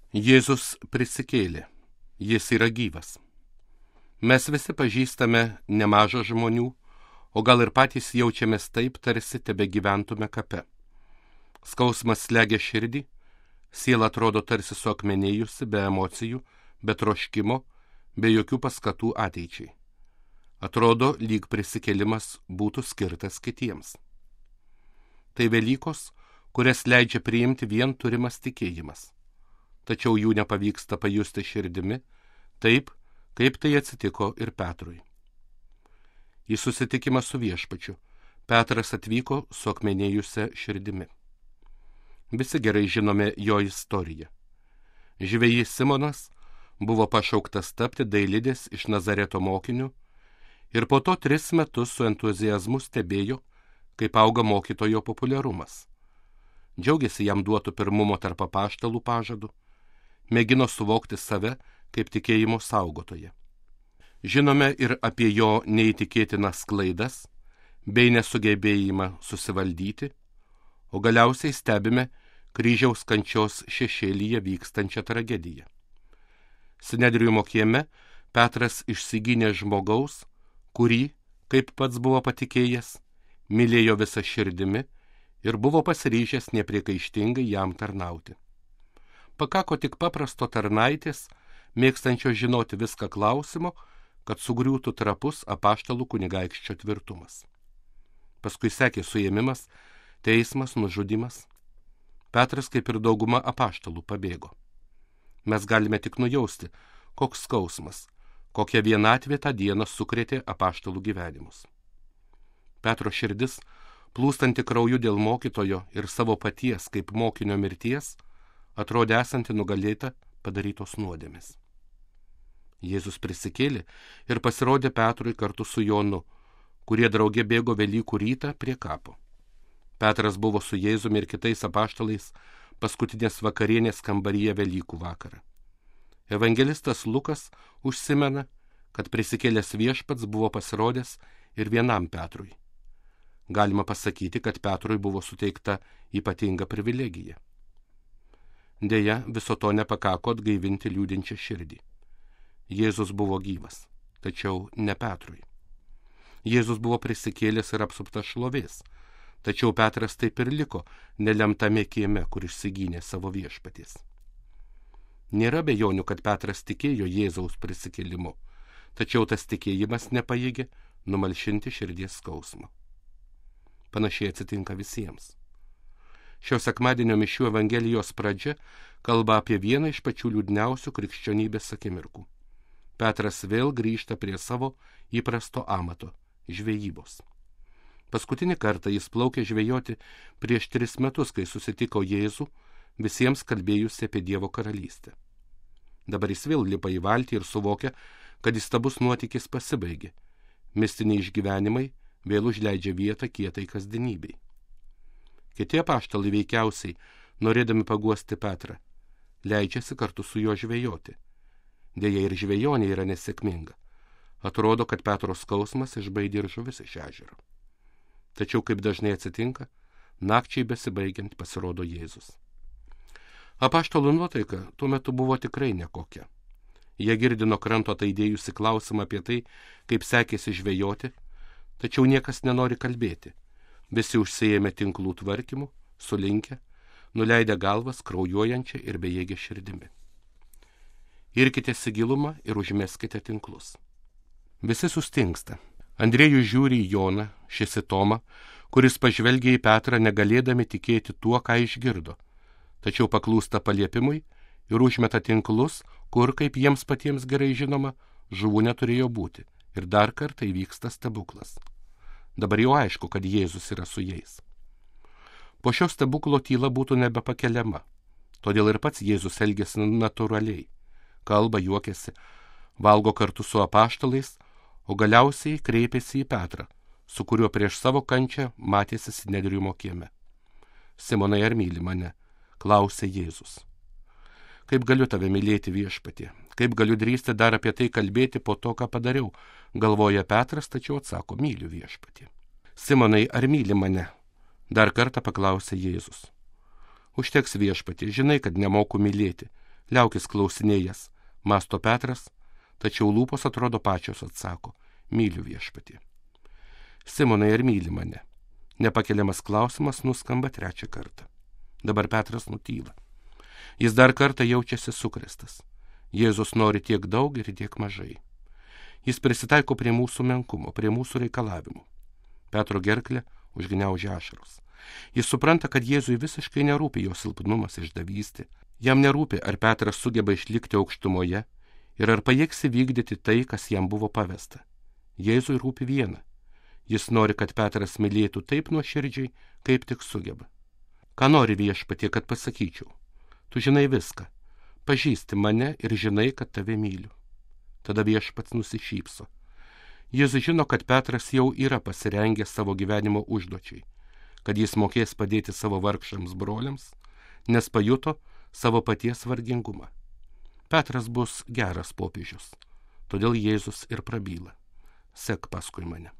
Jėzus prisikėlė. Jis yra gyvas. Mes visi pažįstame nemažą žmonių, o gal ir patys jaučiamės taip, tarsi tebe gyventume kape. Skausmas slegia širdį, siela atrodo tarsi suakmenėjusi, be emocijų, be troškimo, be jokių paskatų ateičiai. Atrodo, lyg prisikėlimas būtų skirtas kitiems. Tai Velykos, kurias leidžia priimti vien turimas tikėjimas. Tačiau jų nepavyksta pajusti širdimi, taip, kaip tai atsitiko ir Petrui. Į susitikimą su Viešpačiu Petras atvyko su akmenėjusia širdimi. Visi gerai žinome jo istoriją. Žvejys Simonas buvo pašauktas tapti dailidės iš Nazareto mokiniu ir po to 3 metus su entuziazmu stebėjo, kaip auga mokytojo populiarumas. Džiaugiasi jam duotų pirmumo tarp apaštalų pažadų, mėgino suvokti save kaip tikėjimo saugotoją. Žinome ir apie jo neįtikėtinas klaidas bei nesugebėjimą susivaldyti, o galiausiai stebime kryžiaus kančios šešėlyje vykstančią tragediją. Sinedriumo kieme Petras išsigynė žmogaus, kurį, kaip pats buvo patikėjęs, mylėjo visą širdimi ir buvo pasiryžęs nepriekaištingai jam tarnauti. Pakako tik paprasto tarnaitės, mėgstančio žinoti viską klausimo, kad sugriūtų trapus apaštalų kunigaikščio tvirtumas. Paskui sekė suėmimas, teismas, nužudymas. Petras, kaip ir dauguma apaštalų, pabėgo. Mes galime tik nujausti, koks skausmas, kokia vienatvė tą dieną sukrėtė apaštalų gyvenimus. Petro širdis, plūstanti krauju dėl mokytojo ir savo paties kaip mokinio mirties, atrodė esanti nugalėta padarytos nuodėmės. Jėzus prisikėlė ir pasirodė Petrui kartu su Jonu, kurie drauge bėgo Velykų rytą prie kapo. Petras buvo su Jėzumi ir kitais apaštalais paskutinės vakarienės kambaryje Velykų vakarą. Evangelistas Lukas užsimena, kad prisikėlęs Viešpats buvo pasirodęs ir vienam Petrui. Galima pasakyti, kad Petrui buvo suteikta ypatinga privilegija. Deja, viso to nepakako atgaivinti liūdinčią širdį. Jėzus buvo gyvas, tačiau ne Petrui. Jėzus buvo prisikėlęs ir apsuptas šlovės, tačiau Petras taip ir liko nelemtame kieme, kur išsigynė savo viešpaties. Nėra abejonių, kad Petras tikėjo Jėzaus prisikėlimu, tačiau tas tikėjimas nepajėgė numalšinti širdies skausmo. Panašiai atsitinka visiems. Šio sekmadienio mišių Evangelijos pradžia kalba apie vieną iš pačių liūdniausių krikščionybės akimirkų. Petras vėl grįžta prie savo įprasto amato – žvejybos. Paskutinį kartą jis plaukė žvejoti prieš 3 metus, kai susitiko Jėzų, visiems kalbėjusi apie Dievo karalystę. Dabar jis vėl lipa į valtį ir suvokia, kad įstabus nuotykis pasibaigė. Mistiniai išgyvenimai vėl užleidžia vietą kietai kasdienybei. Kiti apaštalai veikiausiai, norėdami paguosti Petrą, leidžiasi kartu su juo žvejoti. Deja ir žvejonė yra nesėkminga. Atrodo, kad Petro skausmas išbaidė ir žuvis iš ežero. Tačiau, kaip dažnai atsitinka, nakčiai besibaigiant pasirodo Jėzus. Apaštalų nuotaika tuo metu buvo tikrai nekokia. Jie girdino kranto ataidėjusi klausimą apie tai, kaip sekėsi žvejoti, tačiau niekas nenori kalbėti. Visi užsiėmė tinklų tvarkymu, sulinkę, nuleidę galvas kraujuojančią ir bejėgę širdimi. Irkitės į gilumą ir užmeskite tinklus. Visi sustingsta. Andriejus žiūri į Joną, šis į Tomą, kuris pažvelgia į Petrą negalėdami tikėti tuo, ką išgirdo, tačiau paklūsta paliepimui ir užmeta tinklus, kur, kaip jiems patiems gerai žinoma, žuvų neturėjo būti. Ir dar kartą įvyksta stebuklas. Dabar jau aišku, kad Jėzus yra su jais. Po šio stebuklo tyla būtų nebepakeliama, todėl ir pats Jėzus elgėsi natūraliai. Kalba, juokiasi, valgo kartu su apaštalais, o galiausiai kreipėsi į Petrą, su kuriuo prieš savo kančią matėsi Sinedriumo kieme. Simonai, ar myli mane? Klausė Jėzus. Kaip galiu tave mylėti, Viešpatie? Kaip galiu drįsti dar apie tai kalbėti po to, ką padariau? Galvoja Petras, tačiau atsako, myliu Viešpatie. Simonai, ar myli mane? Dar kartą paklausė Jėzus. Užteks, Viešpatie, žinai, kad nemoku mylėti. Liaukis klausinėjas, mąsto Petras, tačiau lūpos atrodo pačios atsako, myliu Viešpatį. Simonai, ar myli mane? Nepakeliamas klausimas nuskamba trečią kartą. Dabar Petras nutyla. Jis dar kartą jaučiasi sukrėstas. Jėzus nori tiek daug ir tiek mažai. Jis prisitaiko prie mūsų menkumo, prie mūsų reikalavimų. Petro gerklę užgniaužia ašaros. Jis supranta, kad Jėzui visiškai nerūpi jo silpnumas, išdavystė. Jam nerūpi, ar Petras sugeba išlikti aukštumoje ir ar pajėgs įvykdyti tai, kas jam buvo pavesta. Jėzui rūpi viena. Jis nori, kad Petras mylėtų taip nuoširdžiai, kaip tik sugeba. Ką nori Viešpatie, kad pasakyčiau? Tu žinai viską. Pažįsti mane ir žinai, kad tave myliu. Tada Viešpats nusišypso. Jis žino, kad Petras jau yra pasirengęs savo gyvenimo užduočiai, kad jis mokės padėti savo vargšams broliams, nes pajuto savo paties vargingumą. Petras bus geras popiežius, todėl Jėzus ir prabyla. Sek paskui mane.